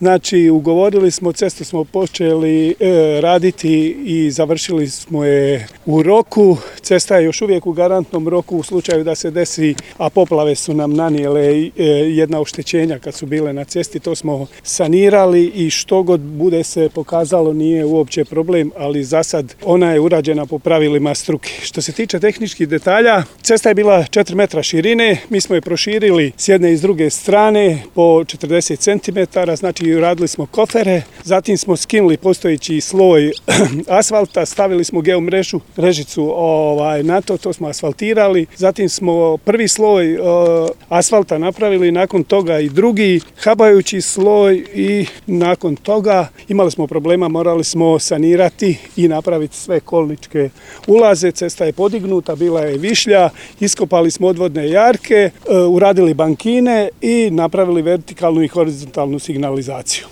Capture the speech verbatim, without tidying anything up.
Znači, ugovorili smo, cestu smo počeli e, raditi i završili smo je u roku. Cesta je još uvijek u garantnom roku u slučaju da se desi, a poplave su nam nanijele e, jedna oštećenja kad su bile na cesti. To smo sanirali i što god bude se pokazalo nije uopće problem, ali za sad ona je urađena po pravilima struke. Što se tiče tehničkih detalja, cesta je bila četiri metra širine, mi smo je proširili s jedne i s druge strane po četrdeset centimetara, znači radili smo kofere, zatim smo skinuli postojeći sloj asfalta, stavili smo geomrežu, režicu ovaj, na to, to smo asfaltirali, zatim smo prvi sloj uh, asfalta napravili, nakon toga i drugi, habajući sloj i nakon toga imali smo problema, morali smo sanirati i napraviti sve kolničke ulaze, cesta je podignuta, bila je višlja, iskopali smo odvodne jarke, uh, uradili bankine i napravili vertikalnu i horizontalnu signalizaciju.